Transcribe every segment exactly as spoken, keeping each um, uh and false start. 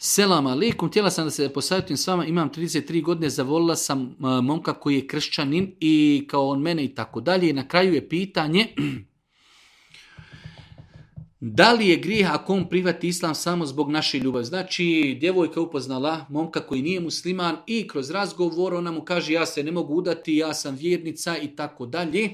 Selam alaikum, htjela sam da se posavjetujem s vama, imam trideset tri godine, zavolila sam uh, momka koji je kršćanin i kao on mene i tako dalje. I na kraju je pitanje, da li je grijeh ako on prihvati islam samo zbog naše ljubavi? Znači, djevojka upoznala momka koji nije musliman i kroz razgovor ona mu kaže ja se ne mogu udati, ja sam vjernica i tako dalje.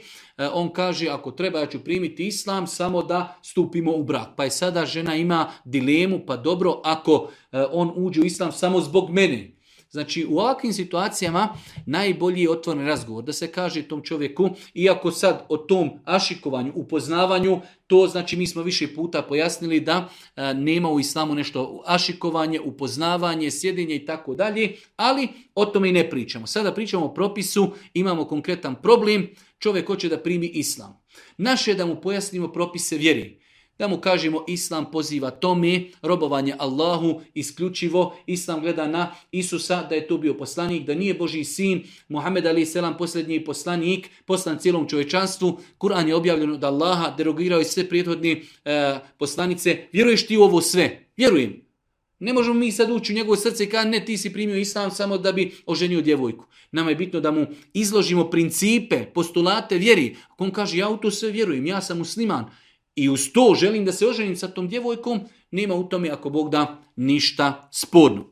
On kaže ako treba ja ću primiti islam samo da stupimo u brak. Pa je sada žena ima dilemu, pa dobro ako on uđe u islam samo zbog mene. Znači u ovakvim situacijama najbolji je otvoren razgovor, da se kaže tom čovjeku, iako sad o tom ašikovanju, upoznavanju, to znači mi smo više puta pojasnili da a, nema u islamu nešto ašikovanje, upoznavanje, sjedenje i tako dalje, ali o tome i ne pričamo. Sada pričamo o propisu, imamo konkretan problem, čovjek hoće da primi islam. Naše je da mu pojasnimo propise vjeri. Da mu kažemo islam poziva tome, robovanje Allahu isključivo, islam gleda na Isusa da je to bio poslanik, da nije Božji sin, Muhammed alejhi selam posljednji poslanik, poslan cijelom čovječanstvu, Kur'an je objavljen od Allaha, derogirao je sve prethodne e, poslanice, vjeruješ ti u ovo sve? Vjerujem. Ne možemo mi sad ući u njegovo srce i kada ne ti si primio islam samo da bi oženio djevojku. Nama je bitno da mu izložimo principe, postulate vjeri. Ako on kaže ja u to sve vjerujem, ja sam musliman, i uz to želim da se oženim sa tom djevojkom, nema u tome ako Bog da ništa sporno.